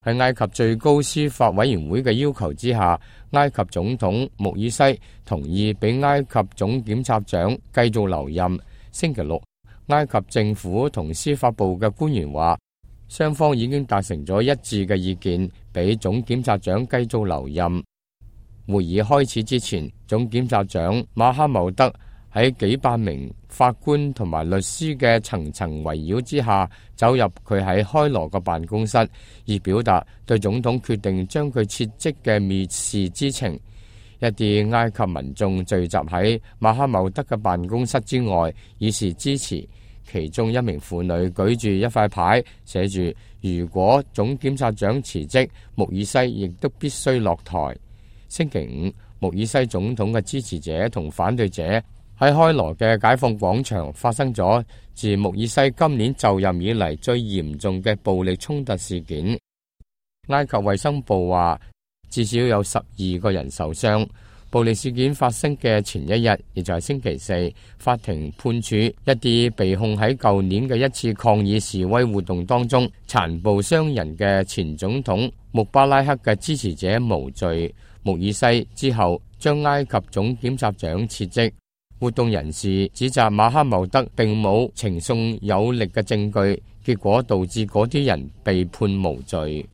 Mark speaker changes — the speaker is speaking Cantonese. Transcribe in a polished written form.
Speaker 1: 喺埃及最高司法委員會嘅要求之下，埃及總統穆爾西同意俾埃及總檢察長繼續留任。星期六，埃及政府同司法部嘅官員話，雙方已經達成咗一致嘅意見，俾總檢察長繼續留任。會議開始之前，總檢察長馬哈茂德喺幾百名法官同埋律師嘅層層圍繞之下，走入佢喺開羅嘅辦公室，以表達對總統決定將佢撤職嘅蔑視之情。一啲埃及民眾聚集喺馬哈茂德嘅辦公室之外，以示支持。其中一名婦女舉住一塊牌，寫住如果總檢察長辭職，穆爾西亦都必須落台。星期五，穆爾西總統嘅支持者同反對者喺開羅嘅解放廣場發生咗自穆爾西今年就任以嚟最嚴重嘅暴力衝突事件。埃及衛生部話，至少有12個人受傷。暴力事件發生嘅前一日，亦就係星期四，法庭判處一啲被控喺舊年嘅一次抗議示威活動當中殘暴傷人嘅前總統穆巴拉克嘅支持者無罪。穆爾西之後將埃及總檢察長撤職。活動人士指責馬哈茂德並冇呈送有力嘅證據，結果導致嗰啲人被判無罪。